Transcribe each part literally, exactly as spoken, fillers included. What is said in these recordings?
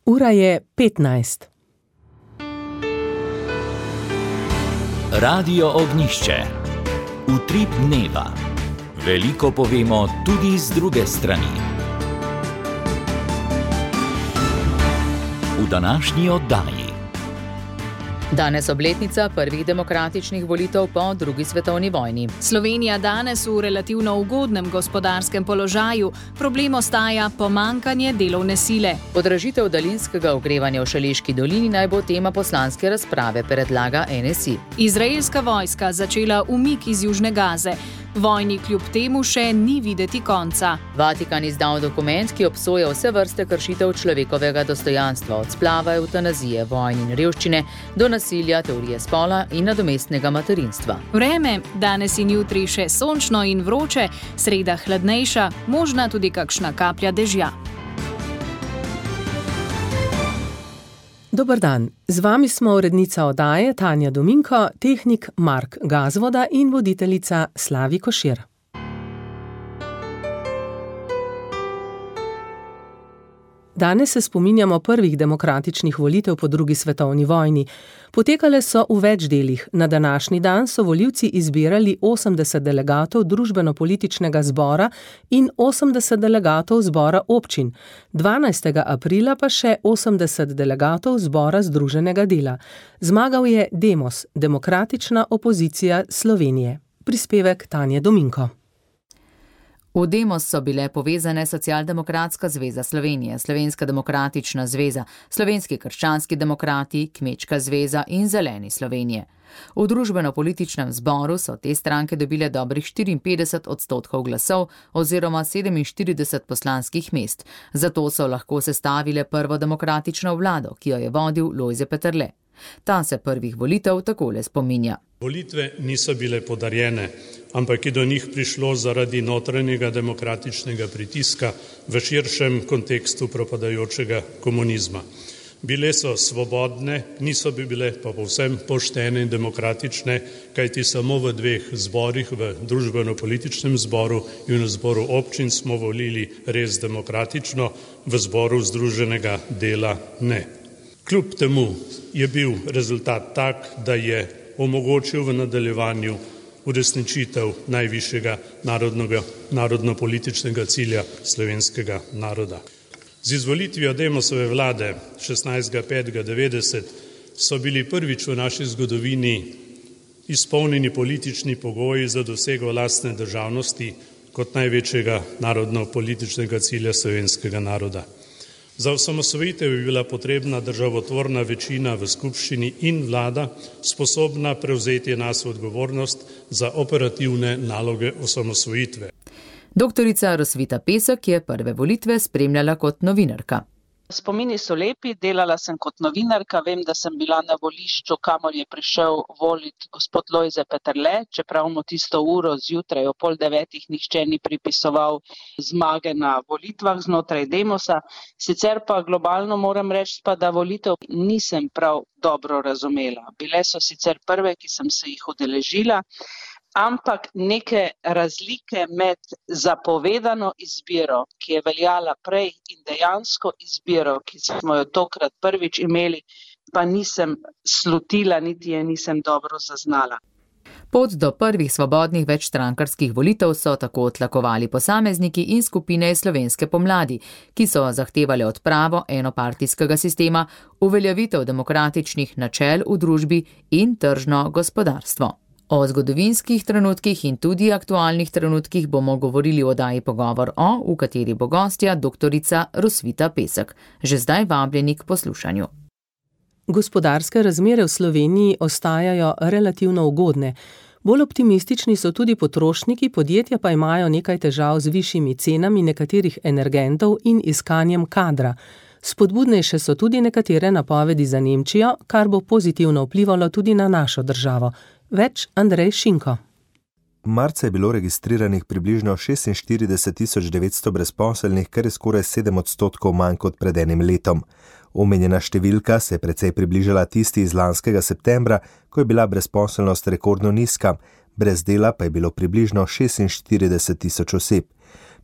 Ura je petnajst. Radio Ognjišče. Utrip dneva. Veliko povemo tudi z druge strani. V današnji oddaji. Danes obletnica prvih demokratičnih volitev po drugi svetovni vojni. Slovenija danes v relativno ugodnem gospodarskem položaju. Problem ostaja pomanjkanje delovne sile. Podražitev daljinskega ogrevanja v Šaleški dolini naj bo tema poslanske razprave, predlaga N S I. Izraelska vojska začela umik iz Južne Gaze. Vojni kljub temu še ni videti konca. Vatikan izdal dokument, ki obsoja vse vrste kršitev človekovega dostojanstva, od splava, evtanazije, vojn in revščine do nasilja, teorije spola in nadomestnega materinstva. Vreme, danes in jutri še sončno in vroče, sreda hladnejša, možna tudi kakšna kaplja dežja. Dober dan, z vami smo urednica oddaje Tanja Dominko, tehnik Mark Gazvoda in voditeljica Slavi Košir. Danes se spominjamo prvih demokratičnih volitev po drugi svetovni vojni. Potekale so v več delih. Na današnji dan so volivci izbirali osemdeset delegatov družbeno-političnega zbora in osemdeset delegatov zbora občin. dvanajstega aprila pa še osemdeset delegatov zbora združenega dela. Zmagal je Demos, demokratična opozicija Slovenije. Prispevek Tanje Dominko. V Demos so bile povezane Socialdemokratska zveza Slovenije, Slovenska demokratična zveza, Slovenski krščanski demokrati, Kmečka zveza in Zeleni Slovenije. V družbeno-političnem zboru so te stranke dobile dobrih štiriinpetdeset odstotkov glasov oziroma sedeminštirideset poslanskih mest. Zato so lahko sestavile prvo demokratično vlado, ki jo je vodil Lojze Peterle. Ta se prvih volitev takole spominja. Volitve niso bile podarjene, ampak je do njih prišlo zaradi notranjega demokratičnega pritiska v širšem kontekstu propadajočega komunizma. Bile so svobodne, niso bi bile pa povsem poštene in demokratične, kajti samo v dveh zborih, v družbeno-političnem zboru in v zboru občin smo volili res demokratično, v zboru združenega dela ne. Kljub temu je bil rezultat tak, da je omogočil v nadaljevanju uresničitev najvišjega narodnega, narodno-političnega cilja slovenskega naroda. Z izvolitvijo Demosove vlade šestnajstega petega devetdeset so bili prvič v naši zgodovini izpolnjeni politični pogoji za dosego lastne državnosti kot največjega narodno-političnega cilja slovenskega naroda. Za osamosvojitev je bila potrebna državotvorna večina v skupščini in vlada sposobna prevzeti nas odgovornost za operativne naloge osamosvojitve. Doktorica Rosvita Pesek je prve volitve spremljala kot novinarka. Spomini so lepi, delala sem kot novinarka, vem, da sem bila na volišču, kamor je prišel voliti gospod Lojze Peterle, čeprav mu tisto uro zjutraj o pol devetih nihče ni pripisoval zmage na volitvah znotraj Demosa. Sicer pa globalno moram reči, pa da volitev nisem prav dobro razumela. Bile so sicer prve, ki sem se jih udeležila, ampak neke razlike med zapovedano izbiro, ki je veljala prej, in dejansko izbiro, ki smo jo tokrat prvič imeli, pa nisem slutila, niti je nisem dobro zaznala. Pot do prvih svobodnih večstrankarskih volitev so tako tlakovali posamezniki in skupine iz slovenske pomladi, ki so zahtevali odpravo enopartijskega sistema, uveljavitev demokratičnih načel v družbi in tržno gospodarstvo. O zgodovinskih trenutkih in tudi aktualnih trenutkih bomo govorili v oddaji Pogovor o, v kateri bo gostja doktorica Rosvita Pesek. Že zdaj vabljeni k poslušanju. Gospodarske razmere v Sloveniji ostajajo relativno ugodne. Bolj optimistični so tudi potrošniki, podjetja pa imajo nekaj težav z višjimi cenami nekaterih energentov in iskanjem kadra. Spodbudnejše so tudi nekatere napovedi za Nemčijo, kar bo pozitivno vplivalo tudi na našo državo. Več Andrej Šinko. Marca je bilo registriranih približno šestinštirideset tisoč devetsto brezposelnih, kar je skoraj sedem odstotkov manj kot pred enim letom. Omenjena številka se je precej približala tisti iz lanskega septembra, ko je bila brezposelnost rekordno nizka, brez dela pa je bilo približno šestinštirideset tisoč oseb.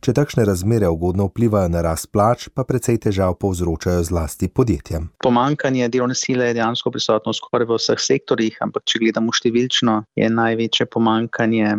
Če takšne razmere ugodno vplivajo na rast plač, pa precej težav povzročajo zlasti podjetjem. Pomanjkanje delovne sile je dejansko prisotno skoraj v vseh sektorjih, ampak če gledamo številčno, je največje pomanjkanje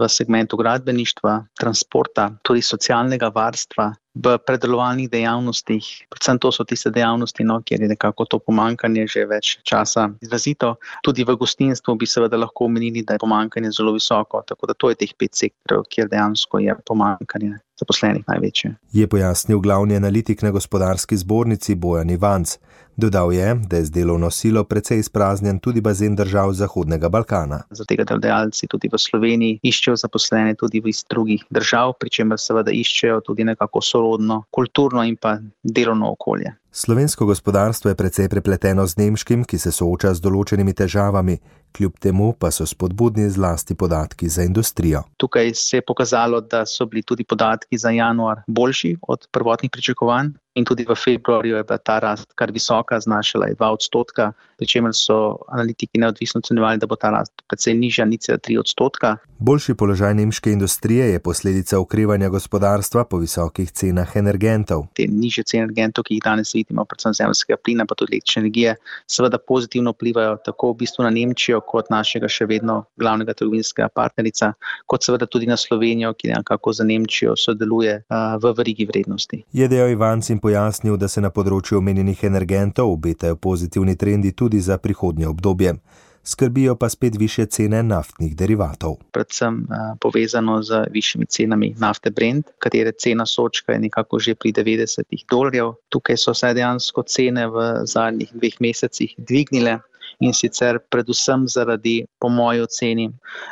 v segmentu gradbeništva, transporta, tudi socialnega varstva, v predelovalnih dejavnostih. Predvsem to so tiste dejavnosti, no, kjer je nekako to pomanjkanje že več časa izrazito. Tudi v gostinstvu bi seveda lahko omenili, da je pomanjkanje zelo visoko, tako da to je teh pet sektorov, kjer dejansko je pomanjkanje zaposlenih največje. Je pojasnil glavni analitik na Gospodarski zbornici Bojan Ivanc. Dodal je, da je z delovno silo precej izpraznjen tudi bazen držav Zahodnega Balkana. Zaradi tega delodajalci tudi v Sloveniji iščejo zaposlene tudi iz drugih držav, pri čemer seveda iščejo tudi nekako sorodno, kulturno in pa delovno okolje. Slovensko gospodarstvo je precej prepleteno z nemškim, ki se sooča z določenimi težavami, kljub temu pa so spodbudni zlasti podatki za industrijo. Tukaj se je pokazalo, da so bili tudi podatki za januar boljši od prvotnih pričakovanj in tudi v februarju je bila ta rast kar visoka, znašala je dva odstotka, pri čemer so analitiki neodvisno ocenjevali, da bo ta rast precej nižja, nič cela tri odstotka. Boljši položaj nemške industrije je posledica okrevanja gospodarstva po visokih cenah energentov. Te nižje cene energentov, ki jih danes vidimo, predvsem zemeljskega plina, pa tudi električne energije, seveda pozitivno vplivajo tako v bistvu na Nemčijo, kot našega še vedno glavnega trgovinskega partnerica, kot seveda tudi na Slovenijo, ki nekako za Nemčijo sodeluje uh, v verigi vrednosti. Je dejal Ivanc in pojasnil, da se na področju omenjenih energentov obetajo pozitivni trendi tudi za prihodnje obdobje. Skrbijo pa spet višje cene naftnih derivatov. Predvsem uh, povezano z višjimi cenami nafte Brent, katere cena sočka je nekako že pri devetdesetih dolarjev. Tukaj so se dejansko cene v zadnjih dveh mesecih dvignile in sicer predvsem zaradi, po moji oceni,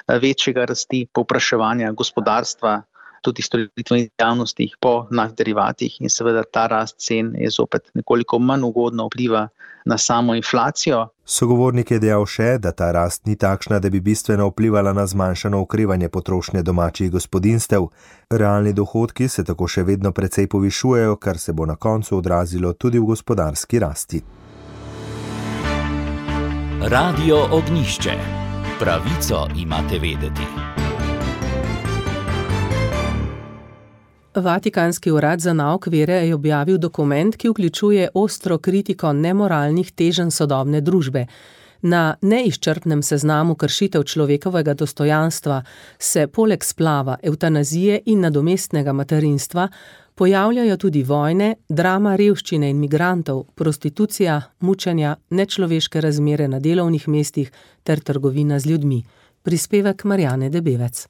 večjega rasti povpraševanja gospodarstva, tudi storitvenih dejavnostih po naftnih derivatih in seveda ta rast cen je zopet nekoliko manj ugodno vpliva na samo inflacijo. Sogovornik je dejal še, da ta rast ni takšna, da bi bistveno vplivala na zmanjšano okrevanje potrošnje domačih gospodinjstev. Realni dohodki se tako še vedno precej povišujejo, kar se bo na koncu odrazilo tudi v gospodarski rasti. Radio Ognjišče. Pravico imate vedeti. Vatikanski urad za nauk vere je objavil dokument, ki vključuje ostro kritiko nemoralnih teženj sodobne družbe. Na neizčrpnem seznamu kršitev človekovega dostojanstva se poleg splava, evtanazije in nadomestnega materinstva pojavljajo tudi vojne, drama revščine in migrantov, prostitucija, mučenja, nečloveške razmere na delovnih mestih ter trgovina z ljudmi. Prispevek Marjane Debevec.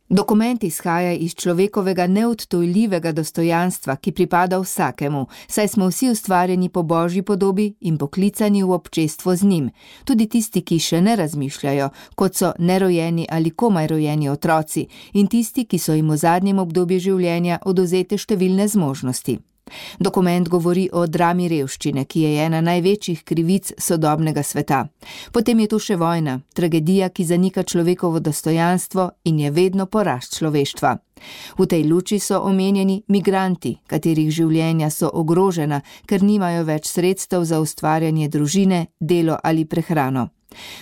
Dokument izhaja iz človekovega neodtujljivega dostojanstva, ki pripada vsakemu, saj smo vsi ustvarjeni po Božji podobi in poklicani v občestvo z njim. Tudi tisti, ki še ne razmišljajo, kot so nerojeni ali komaj rojeni otroci, in tisti, ki so jim v zadnjem obdobju življenja odvzete številne zmožnosti. Dokument govori o drami revščine, ki je ena največjih krivic sodobnega sveta. Potem je tu še vojna, tragedija, ki zanika človekovo dostojanstvo in je vedno porast človeštva. V tej luči so omenjeni migranti, katerih življenja so ogrožena, ker nimajo več sredstev za ustvarjanje družine, delo ali prehrano.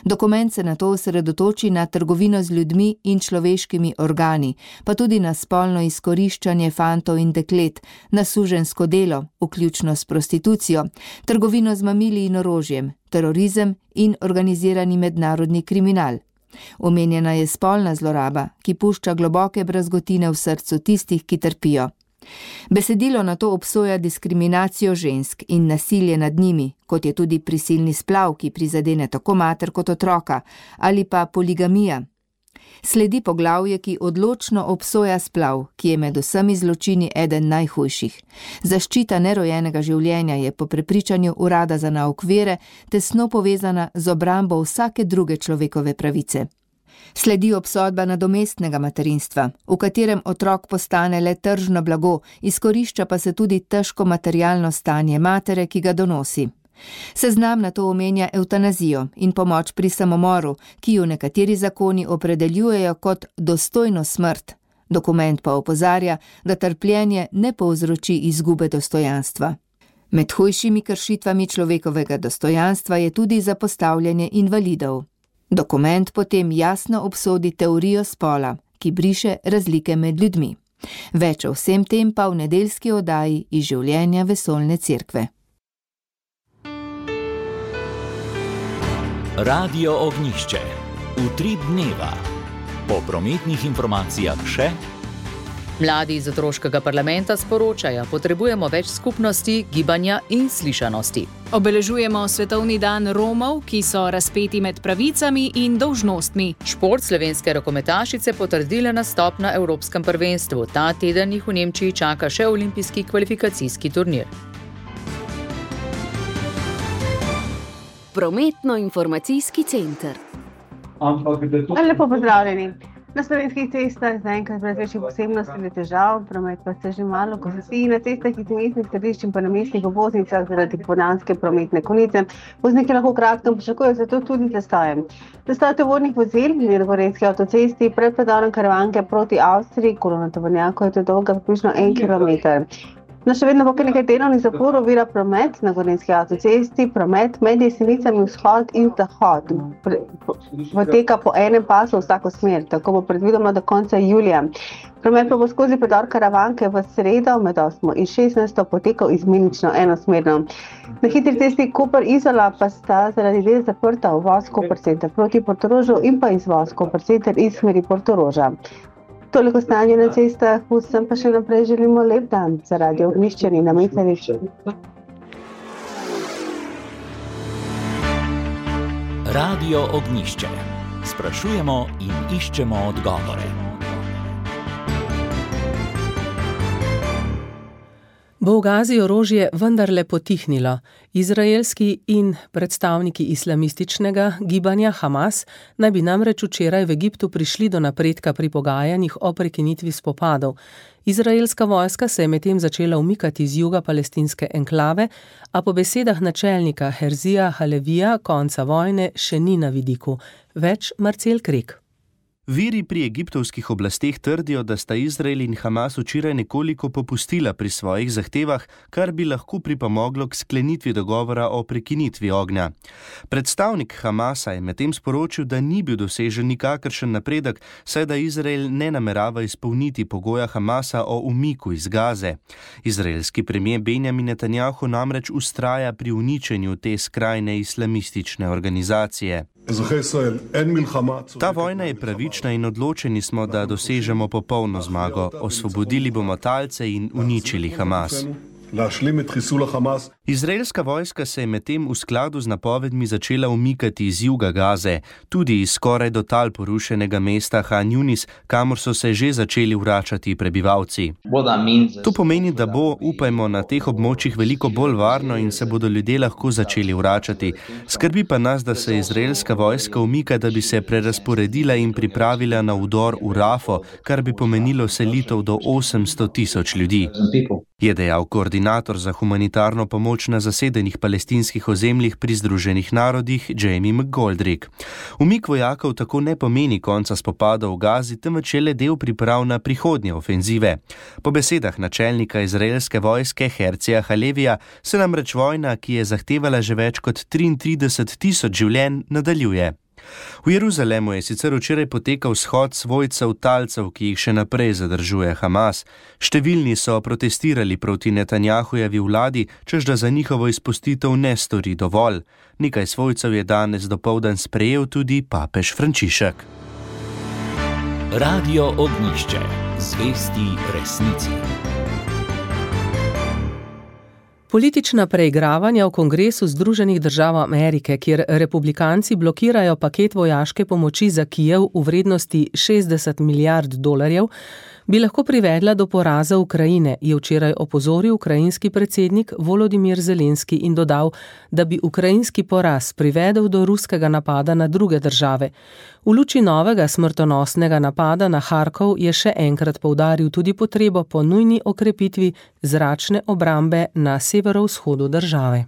Dokument se nato osredotoči na trgovino z ljudmi in človeškimi organi, pa tudi na spolno izkoriščanje fantov in deklet, na suženjsko delo, vključno s prostitucijo, trgovino z mamili in orožjem, terorizem in organizirani mednarodni kriminal. Omenjena je spolna zloraba, ki pušča globoke brazgotine v srcu tistih, ki trpijo. Besedilo nato obsoja diskriminacijo žensk in nasilje nad njimi, kot je tudi prisilni splav, ki prizadene tako mater kot otroka, ali pa poligamija. Sledi poglavje, ki odločno obsoja splav, ki je med vsemi zločini eden najhujših. Zaščita nerojenega življenja je po prepričanju urada za nauk vere tesno povezana z obrambo vsake druge človekove pravice. Sledi obsodba nadomestnega materinstva, v katerem otrok postane le tržno blago, izkorišča pa se tudi težko materialno stanje matere, ki ga donosi. Seznam nato omenja evtanazijo in pomoč pri samomoru, ki jo nekateri zakoni opredeljujejo kot dostojno smrt. Dokument pa opozarja, da trpljenje ne povzroči izgube dostojanstva. Med hujšimi kršitvami človekovega dostojanstva je tudi zapostavljanje invalidov. Dokument potem jasno obsodi teorijo spola, ki briše razlike med ljudmi. Več o vsem tem pa v nedeljski oddaji iz življenja vesoljne cerkve. Radio Ognjišče. Utrip dneva. Po prometnih informacijah še. Mladi iz otroškega parlamenta sporočajo, potrebujemo več skupnosti, gibanja in slišanosti. Obeležujemo Svetovni dan Romov, ki so razpeti med pravicami in dolžnostmi. Šport slovenske rokometašice potrdile nastop na Evropskem prvenstvu. Ta teden jih v Nemčiji čaka še olimpijski kvalifikacijski turnir. Prometno-informacijski center. Lepo pozdravljeni. Na slovenskih cestah zaenkrat brez večjih posebnosti ali težav, promet pa se že malo kosi. Na cestah iz mestnih središč in pa na mestnih obvoznicah zaradi ponavske prometne konice vozniki lahko kratko pričakujejo, zato tudi zastojem. Zastoj tovornih vozil na gorenjski avtocesti pred predorom Karavanke proti Avstriji, kolona tovornjakov je to dolga približno en kilometer. No, še vedno bo kar nekaj delovnih zapor ovira promet na gorenjski avtocesti, promet med Jesenicami vzhod in zahod. Poteka po enem pasu v vsako smer, tako bo predvidoma do konca julija. Promet pa bo skozi predor Karavanke v sredo med osmo in šestnajsto potekal izmenično enosmerno. Na hitri cesti Koper-Izola pa sta zaradi del zaprta uvoz Koper center proti Portorožu in pa izvoz Koper center iz smeri Portoroža. Toliko stanje na cestah, vsem pa še naprej želimo lep dan za Radio Ognjišče in na Micarišču. Radio Ognjišče. Sprašujemo in iščemo odgovore. Bo v Gazi orožje vendarle potihnilo. Izraelski in predstavniki islamističnega gibanja Hamas naj bi namreč včeraj v Egiptu prišli do napredka pri pogajanjih o prekinitvi spopadov. Izraelska vojska se je medtem začela umikati z juga palestinske enklave, a po besedah načelnika Herzija Halevija konca vojne še ni na vidiku. Več Marcel Krek. Viri pri egiptovskih oblasteh trdijo, da sta Izrael in Hamas včeraj nekoliko popustila pri svojih zahtevah, kar bi lahko pripomoglo k sklenitvi dogovora o prekinitvi ognja. Predstavnik Hamasa je medtem sporočil, da ni bil dosežen nikakršen napredek, saj da Izrael ne namerava izpolniti pogoja Hamasa o umiku iz Gaze. Izraelski premier Benjamin Netanjahu namreč ustraja pri uničenju te skrajne islamistične organizacije. Ta vojna je pravična in odločeni smo, da dosežemo popolno zmago. Osvobodili bomo talce in uničili Hamas. Izraelska vojska se je medtem v skladu z napovedmi začela umikati iz juga Gaze, tudi iz skoraj do tal porušenega mesta Han Yunis, kamor so se že začeli vračati prebivalci. To pomeni, da bo, upajmo, na teh območjih veliko bolj varno in se bodo ljudje lahko začeli vračati. Skrbi pa nas, da se izraelska vojska umika, da bi se prerasporedila in pripravila na vdor v Rafo, kar bi pomenilo selitev do osemsto tisoč ljudi. Je dejal koordinator za humanitarno pomoč na zasedenih palestinskih ozemljih pri Združenih narodih Jamie McGoldrick. Umik vojakov tako ne pomeni konca spopadov v Gazi, temveč je le del priprav na prihodnje ofenzive. Po besedah načelnika izraelske vojske Herzija Halevija se namreč vojna, ki je zahtevala že več kot triintrideset tisoč življenj, nadaljuje. V Jeruzalemu je sicer včeraj potekal shod svojcev talcev, ki jih še naprej zadržuje Hamas. Številni so protestirali proti Netanjahujevi vladi, češ da za njihovo izpustitev ne stori dovolj. Nekaj svojcev je danes dopoldan sprejel tudi papež Frančišek. Radio Ognjišče. Zvesti resnici. Politična preigravanja v Kongresu Združenih držav Amerike, kjer republikanci blokirajo paket vojaške pomoči za Kijev v vrednosti šestdeset milijard dolarjev, bi lahko privedla do poraza Ukrajine, je včeraj opozoril ukrajinski predsednik Volodimir Zelenski in dodal, da bi ukrajinski poraz privedel do ruskega napada na druge države. V luči novega smrtonosnega napada na Harkov je še enkrat poudaril tudi potrebo po nujni okrepitvi zračne obrambe na severovzhodu države.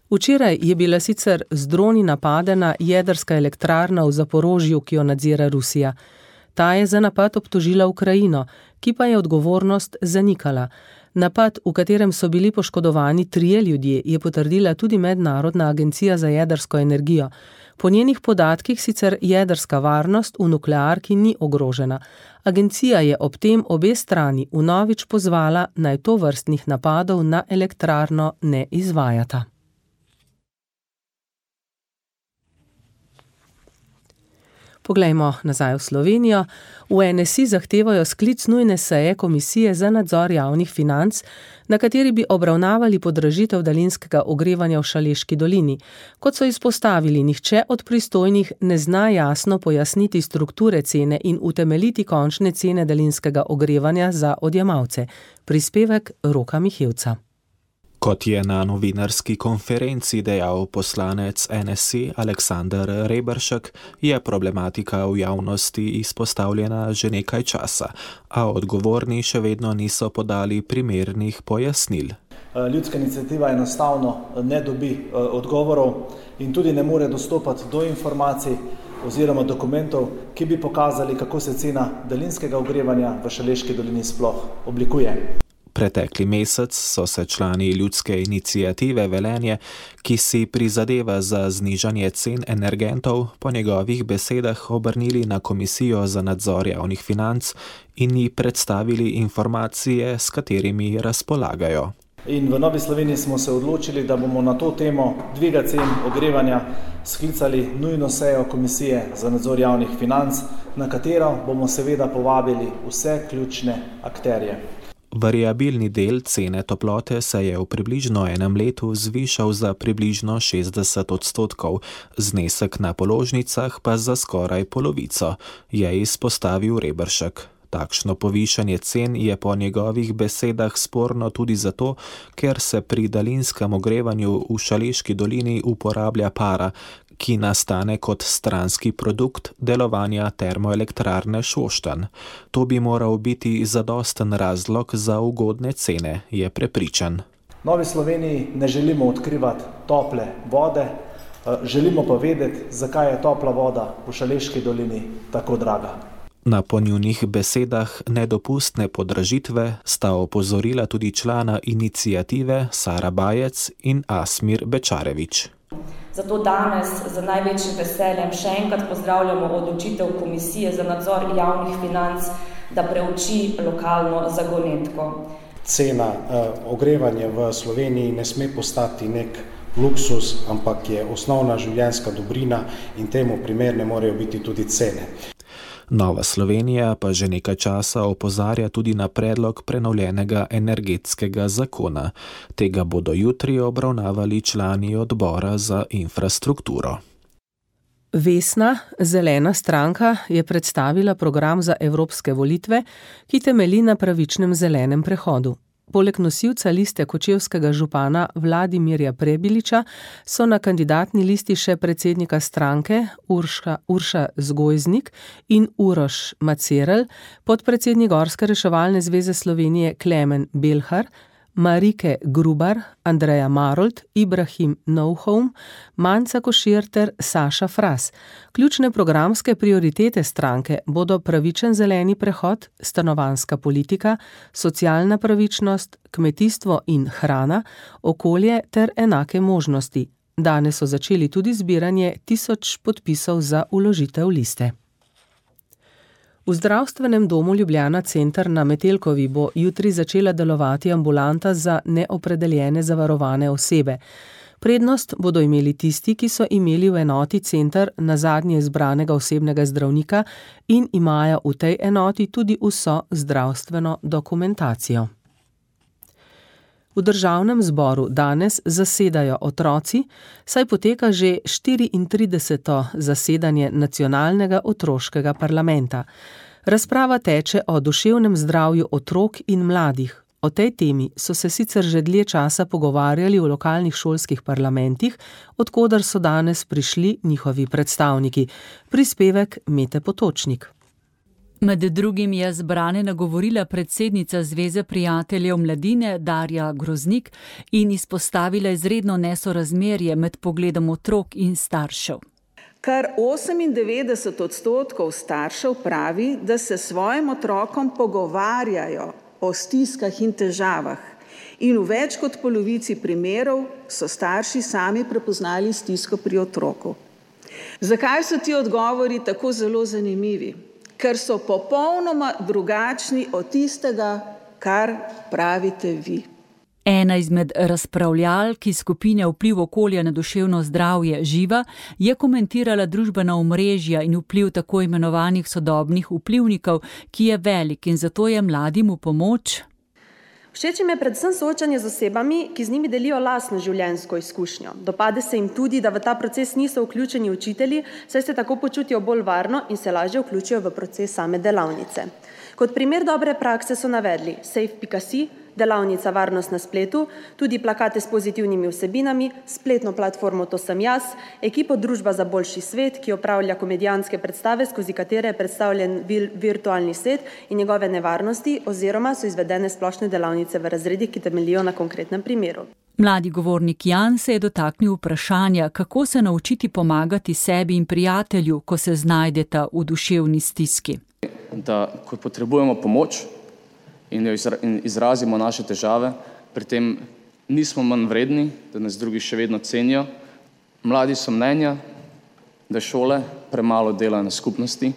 Včeraj je bila sicer z droni napadena jedrska elektrarna v Zaporožju, ki jo nadzira Rusija. Ta je za napad obtožila Ukrajino, ki pa je odgovornost zanikala. Napad, v katerem so bili poškodovani trije ljudje, je potrdila tudi Mednarodna agencija za jedrsko energijo. Po njenih podatkih sicer jedrska varnost v nuklearki ni ogrožena. Agencija je ob tem obe strani vnovič pozvala, naj tovrstnih napadov na elektrarno ne izvajata. Poglejmo nazaj v Slovenijo. V N S I zahtevajo sklic nujne seje Komisije za nadzor javnih financ, na kateri bi obravnavali podražitev daljinskega ogrevanja v Šaleški dolini. Kot so izpostavili, nihče od pristojnih ne zna jasno pojasniti strukture cene in utemeljiti končne cene daljinskega ogrevanja za odjemalce. Prispevek Roka Mihevca. Kot je na novinarski konferenci dejal poslanec N S I Aleksander Reberšek, je problematika v javnosti izpostavljena že nekaj časa, a odgovorni še vedno niso podali primernih pojasnil. Ljudska iniciativa enostavno ne dobi odgovorov in tudi ne more dostopati do informacij oziroma dokumentov, ki bi pokazali, kako se cena daljinskega ogrevanja v Šaleški dolini sploh oblikuje. Pretekli mesec so se člani Ljudske iniciative Velenje, ki si prizadeva za znižanje cen energentov, po njegovih besedah obrnili na Komisijo za nadzor javnih financ in ji predstavili informacije, s katerimi razpolagajo. In v Novi Sloveniji smo se odločili, da bomo na to temo dviga cen ogrevanja sklicali nujno sejo Komisije za nadzor javnih financ, na katero bomo seveda povabili vse ključne akterje. Variabilni del cene toplote se je v približno enem letu zvišal za približno šestdeset odstotkov, znesek na položnicah pa za skoraj polovico, je izpostavil Reberšek. Takšno povišanje cen je po njegovih besedah sporno tudi zato, ker se pri daljinskem ogrevanju v Šaleški dolini uporablja para, ki nastane kot stranski produkt delovanja termoelektrarne Šoštanj. To bi moral biti zadosten razlog za ugodne cene, je prepričan. V Novi Sloveniji ne želimo odkrivati tople vode, želimo pa vedeti, zakaj je topla voda v Šaleški dolini tako draga. Na po njunih besedah nedopustne podražitve sta opozorila tudi člana iniciative Sara Bajec in Asmir Bečarevič. Zato danes z največjim veseljem še enkrat pozdravljamo odločitev Komisije za nadzor javnih financ, da preuči lokalno zagonetko. Cena eh, ogrevanja v Sloveniji ne sme postati nek luksus, ampak je osnovna življenjska dobrina in temu primerne morajo biti tudi cene. Nova Slovenija pa že nekaj časa opozarja tudi na predlog prenovljenega energetskega zakona. Tega bodo jutri obravnavali člani odbora za infrastrukturo. Vesna, zelena stranka, je predstavila program za evropske volitve, ki temelji na pravičnem zelenem prehodu. Poleg nosilca liste kočevskega župana Vladimirja Prebiliča so na kandidatni listi še predsednika stranke Urša, Urša Zgojznik in Uroš Macerelj, podpredsednik Gorske reševalne zveze Slovenije Klemen Belhar, Marike Grubar, Andreja Marolt, Ibrahim Novholm, Manca Košir ter Saša Fras. Ključne programske prioritete stranke bodo pravičen zeleni prehod, stanovanjska politika, socialna pravičnost, kmetijstvo in hrana, okolje ter enake možnosti. Danes so začeli tudi zbiranje tisoč podpisov za vložitev liste. V zdravstvenem domu Ljubljana Center na Metelkovi bo jutri začela delovati ambulanta za neopredeljene zavarovane osebe. Prednost bodo imeli tisti, ki so imeli v enoti Center na zadnje izbranega osebnega zdravnika in imajo v tej enoti tudi vso zdravstveno dokumentacijo. V državnem zboru danes zasedajo otroci, saj poteka že štiriintrideseto zasedanje nacionalnega otroškega parlamenta. Razprava teče o duševnem zdravju otrok in mladih. O tej temi so se sicer že dlje časa pogovarjali v lokalnih šolskih parlamentih, od koder so danes prišli njihovi predstavniki. Prispevek Mete Potočnik. Med drugim je zbrane nagovorila predsednica Zveze prijateljev mladine Darja Groznik in izpostavila izredno nesorazmerje med pogledom otrok in staršev. Kar osemindevetdeset odstotkov staršev pravi, da se svojim otrokom pogovarjajo o stiskah in težavah in v več kot polovici primerov so starši sami prepoznali stisko pri otroku. Zakaj so ti odgovori tako zelo zanimivi? Ker so popolnoma drugačni od tistega, kar pravite vi. Ena izmed razpravljalk iz skupine Vpliv okolja na duševno zdravje Živa je komentirala družbena omrežja in vpliv tako imenovanih sodobnih vplivnikov, ki je velik in zato je mladim v pomoč. Všeč jim je predvsem soočanje z osebami, ki z njimi delijo lastno življenjsko izkušnjo. Dopade se jim tudi, da v ta proces niso vključeni učitelji, saj se tako počutijo bolj varno in se lažje vključijo v proces same delavnice. Kot primer dobre prakse so navedli safe pika si, delavnica Varnost na spletu, tudi plakate s pozitivnimi vsebinami, spletno platformo To sem jaz, ekipo Družba za boljši svet, ki opravlja komedijanske predstave, skozi katere je predstavljen virtualni svet in njegove nevarnosti, oziroma so izvedene splošne delavnice v razredih, ki temeljijo na konkretnem primeru. Mladi govornik Jan se je dotaknil vprašanja, kako se naučiti pomagati sebi in prijatelju, ko se znajdeta v duševni stiski. Da, ko potrebujemo pomoč in izrazimo naše težave, pri tem nismo manj vredni, da nas drugi še vedno cenijo. Mladi so mnenja, da šole premalo delajo na skupnosti,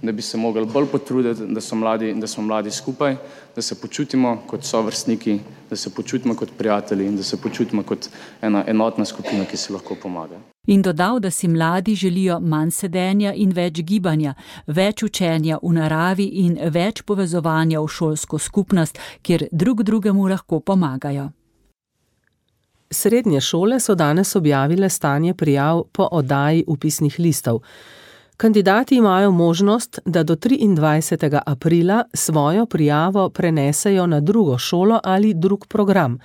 da bi se mogli bolj potruditi, da so mladi, da smo mladi skupaj, da se počutimo kot sovrstniki, da se počutimo kot prijatelji in da se počutimo kot ena enotna skupina, ki si lahko pomaga. In dodal, da si mladi želijo manj sedenja in več gibanja, več učenja v naravi in več povezovanja v šolsko skupnost, kjer drug drugemu lahko pomagajo. Srednje šole so danes objavile stanje prijav po oddaji vpisnih listov. Kandidati imajo možnost, da do triindvajsetega aprila svojo prijavo prenesejo na drugo šolo ali drug program.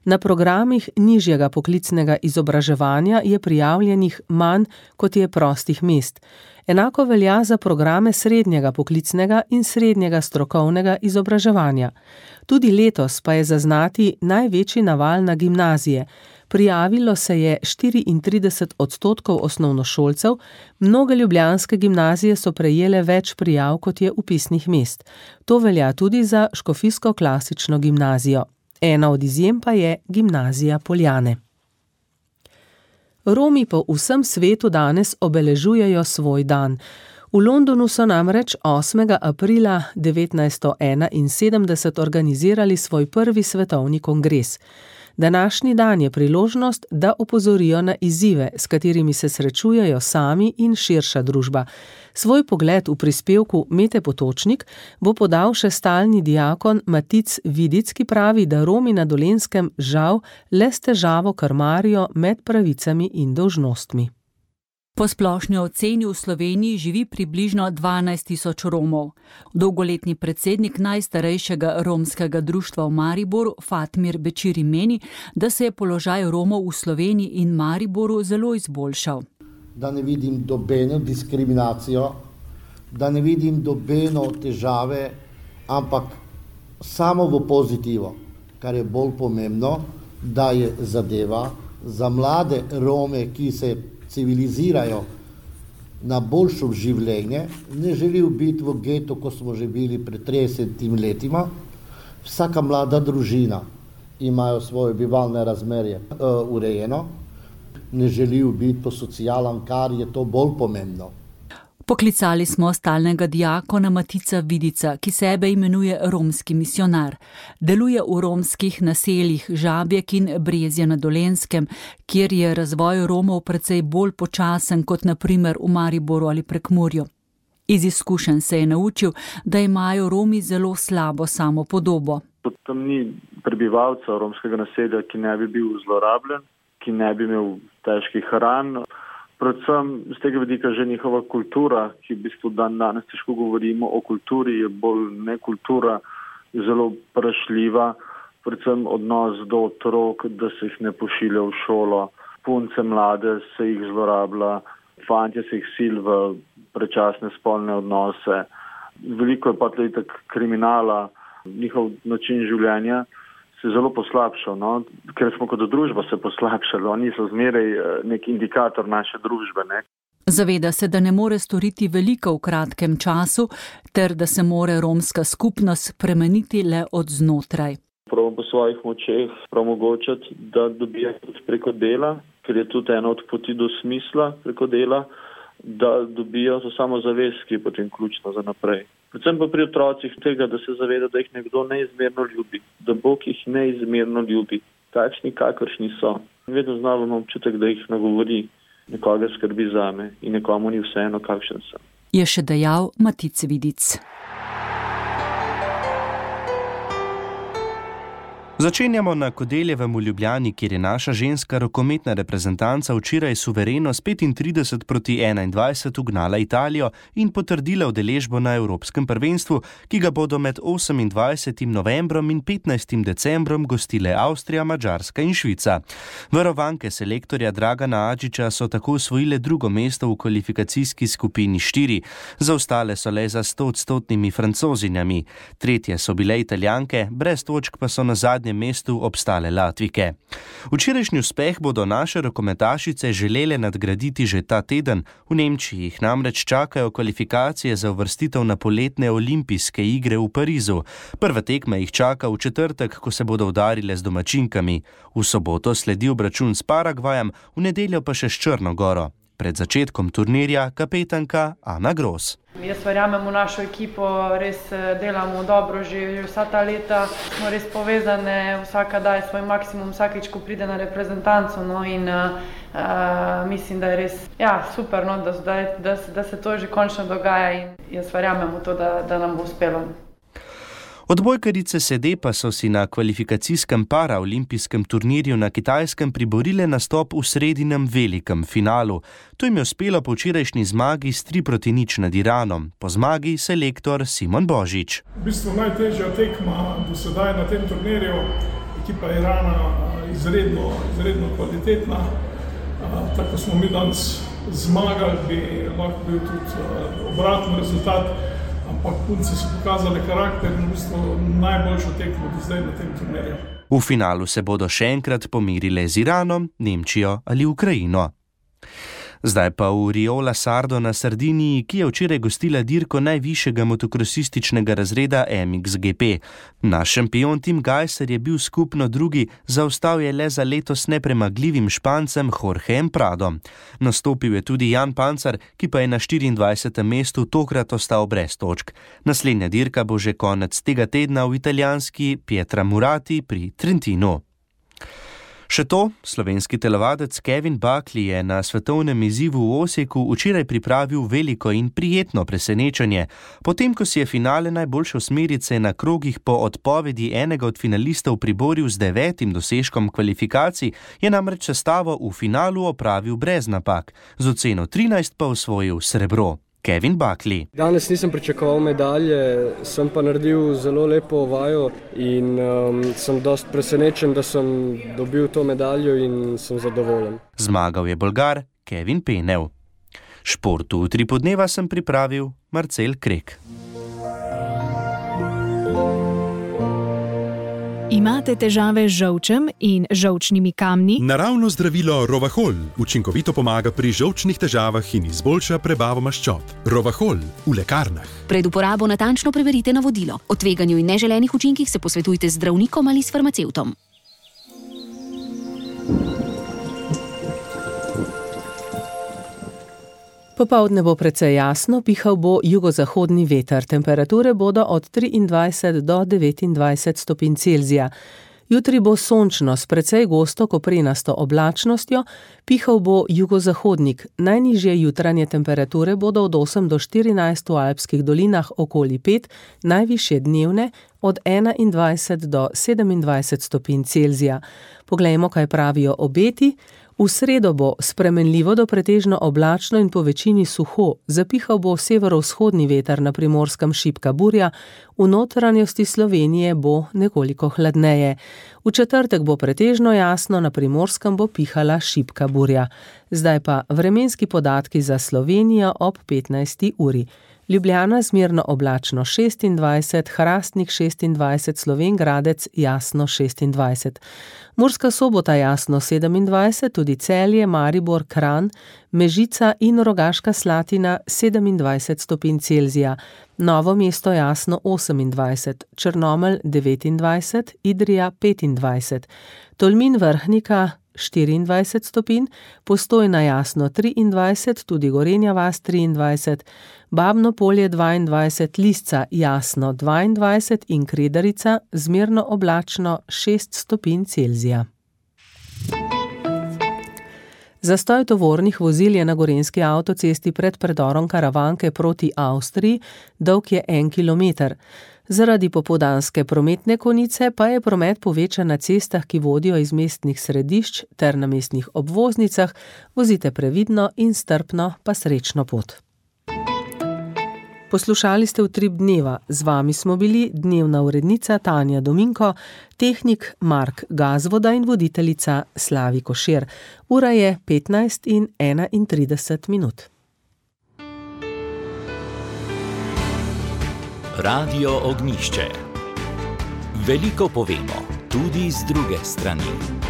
Na programih nižjega poklicnega izobraževanja je prijavljenih manj, kot je prostih mest. Enako velja za programe srednjega poklicnega in srednjega strokovnega izobraževanja. Tudi letos pa je zaznati največji naval na gimnazije. Prijavilo se je štiriintrideset odstotkov osnovnošolcev, mnoge ljubljanske gimnazije so prejele več prijav, kot je vpisnih mest. To velja tudi za škofijsko klasično gimnazijo. Ena od izjem pa je gimnazija Poljane. Romi po vsem svetu danes obeležujejo svoj dan. V Londonu so namreč osmega aprila devetnajststo enainsedemdeset organizirali svoj prvi svetovni kongres. Današnji dan je priložnost, da opozorijo na izzive, s katerimi se srečujejo sami in širša družba. Svoj pogled v prispevku Mete Potočnik bo podal še stalni diakon Matic Vidic, ki pravi, da Romi na Dolenjskem žal le s težavo krmarijo med pravicami in dolžnostmi. Po splošni oceni v Sloveniji živi približno dvanajst tisoč Romov. Dolgoletni predsednik najstarejšega romskega društva v Mariboru, Fatmir Bećiri, meni, da se je položaj Romov v Sloveniji in Mariboru zelo izboljšal. Da ne vidim dobeno diskriminacijo, da ne vidim dobeno težave, ampak samo v pozitivo, kar je bolj pomembno, da je zadeva za mlade Rome, ki se civilizirajo na boljšo življenje, ne želijo biti v getu, ko smo že bili pred tridesetimi letima. Vsaka mlada družina imajo svoje bivalne razmerje uh, urejeno, ne želijo biti po socialam, kar je to bolj pomembno. Poklicali smo stalnega diakona Matica Vidica, ki sebe imenuje romski misionar. Deluje v romskih naseljih Žabjek in Brezje na Dolenjskem, kjer je razvoj Romov precej bolj počasen kot na primer v Mariboru ali Prekmurju. Iz izkušenj se je naučil, da imajo Romi zelo slabo samopodobo. Tam ni prebivalca romskega naselja, ki ne bi bil zlorabljen, ki ne bi imel težkih ran. Predvsem z tega vidika že njihova kultura, ki v bistvu dan danes težko govorimo o kulturi, je bolj ne kultura, zelo prašljiva, predvsem odnos do otrok, da se jih ne pošilja v šolo, punce mlade se jih zlorablja, fantje se jih sil v predčasne spolne odnose. Veliko je pa tudi tak kriminala, njihov način življenja se zelo poslabšal, no? Ker smo kot družba se poslabšali, oni so zmeraj nek indikator naše družbe. Ne? Zaveda se, da ne more storiti veliko v kratkem času, ter da se more romska skupnost spremeniti le od znotraj. Pravno po svojih močeh omogočati, da dobijo tudi preko dela, ker je tudi ena od poti do smisla preko dela, da dobijo to samozavest, ki je potem ključna za naprej. Predvsem pa pri otrocih tega, da se zaveda, da jih nekdo neizmerno ljubi, da Bog jih neizmerno ljubi, takšni kakršni so. Vedno znamo imam občutek, da jih nagovori, nekoga skrbi zame in nekomu ni vseeno, kakšen sem. Je še dejal Matic Vidic. Začenjamo na Kodeljevem v Ljubljani, kjer je naša ženska rokometna reprezentanca včeraj suvereno s petintrideset proti enaindvajset ugnala Italijo in potrdila udeležbo na Evropskem prvenstvu, ki ga bodo med osemindvajsetim novembrom in petnajstim decembrom gostile Avstrija, Madžarska in Švica. Varovanke selektorja Dragana Adžiča so tako osvojile drugo mesto v kvalifikacijski skupini štiri. Zaostale so le za stoodstotnimi Francozinjami. Tretje so bile Italijanke, brez točk pa so na zadnje mestu obstale Latvike. Včerajšnji uspeh bodo naše rokometašice želele nadgraditi že ta teden. V Nemčiji jih namreč čakajo kvalifikacije za uvrstitev na poletne olimpijske igre v Parizu. Prva tekma jih čaka v četrtek, ko se bodo udarile z domačinkami. V soboto sledi obračun s Paragvajem, v nedeljo pa še s Črno Goro. Pred začetkom turnirja kapetanka Ana Gros. Jaz verjamem v našo ekipo, res delamo dobro že vsa ta leta, smo res povezane, vsaka daje svoj maksimum vsakič, ko pride na reprezentanco, no, in uh, mislim, da je res ja, super, no, da, da, da, da se to že končno dogaja in jaz verjamem v to, da, da nam bo uspelo. Odbojkarice sede pa so si na kvalifikacijskem paraolimpijskem turnirju na Kitajskem priborile nastop v sredinem velikem finalu. To jim je uspelo po včerajšnji zmagi s tri proti nič nad Iranom. Po zmagi selektor Simon Božič. V bistvu najtežja tekma do sedaj na tem turnirju. Ekipa Irana izredno, izredno kvalitetna. Tako smo mi danes zmagali, bi lahko bil tudi obratni rezultat. Ampak punce so pokazali karakter in v bistvu najboljšo tekmo do zdaj na tem turnirju. V finalu se bodo še enkrat pomirile z Iranom, Nemčijo ali Ukrajino. Zdaj pa v Riola Sardo na Sardiniji, ki je včeraj gostila dirko najvišjega motokrosističnega razreda M X G P. Naš šampion Tim Gajser je bil skupno drugi, zaostal je le za letos nepremagljivim Špancem Jorgeem Pradom. Nastopil je tudi Jan Pancar, ki pa je na štiriindvajsetem mestu tokrat ostal brez točk. Naslednja dirka bo že konec tega tedna v italijanski Pietra Murati pri Trentinu. Še to, slovenski telovadec Kevin Buckley je na svetovnem izzivu v Osijeku včeraj pripravil veliko in prijetno presenečenje. Potem, ko si je finale najboljše osmerice na krogih po odpovedi enega od finalistov priboril z devetim dosežkom kvalifikacij, je namreč sestavo v finalu opravil brez napak, z oceno trinajst pa osvojil srebro. Kevin Buckley. Danes nisem pričakoval medalje, sem pa naredil zelo lepo vajo in um, sem dost presenečen, da sem dobil to medaljo in sem zadovoljen. Zmagal je Bolgar Kevin Penev. Športu v tri podneva sem pripravil Marcel Krek. Imate težave z žolčem in žolčnimi kamni? Naravno zdravilo Rovahol učinkovito pomaga pri žolčnih težavah in izboljša prebavo maščob. Rovahol v lekarnah. Pred uporabo natančno preverite navodilo. O tveganju in neželenih učinkih se posvetujte z zdravnikom ali s farmacevtom. Popoldne bo precej jasno, pihal bo jugozahodni veter. Temperature bodo od triindvajset do devetindvajset stopinj Celzija. Jutri bo sončno s precej gosto koprenasto oblačnostjo, pihal bo jugozahodnik. Najnižje jutranje temperature bodo od osem do štirinajst v alpskih dolinah okoli pet, najvišje dnevne od enaindvajset do sedemindvajset stopinj Celzija. Poglejmo, kaj pravijo obeti. V sredo bo spremenljivo do pretežno oblačno in po večini suho, zapihal bo severovzhodni veter, na Primorskem šibka burja, v notranjosti Slovenije bo nekoliko hladneje. V četrtek bo pretežno jasno, na Primorskem bo pihala šibka burja. Zdaj pa vremenski podatki za Slovenijo ob petnajsti uri. Ljubljana zmerno oblačno šestindvajset, Hrastnik šestindvajset, Slovenj Gradec jasno šestindvajset. Murska Sobota jasno sedemindvajset, tudi Celje, Maribor, Kranj, Mežica in Rogaška Slatina sedemindvajset stopinj Celzija. Novo mesto jasno osemindvajset, Črnomelj devetindvajset, Idrija petindvajset, Tolmin Vrhnika štiriindvajset stopinj, Postojna jasno triindvajset, tudi Gorenja vas triindvajset, Babno Polje dvaindvajset, Lisca jasno dvaindvajset in Kredarica zmerno oblačno šest stopinj Celzija. Zastoj tovornih vozil je na gorenjski avtocesti pred predorom Karavanke proti Avstriji, dolg je en kilometer. Zaradi popoldanske prometne konice pa je promet povečan na cestah, ki vodijo iz mestnih središč ter na mestnih obvoznicah. Vozite previdno in strpno, pa srečno pot. Poslušali ste Utrip dneva. Z vami smo bili dnevna urednica Tanja Dominko, tehnik Mark Gazvoda in voditeljica Slavi Košir. Ura je petnajst in enaintrideset minut. Radio Ognjišče. Veliko povemo, tudi z druge strani.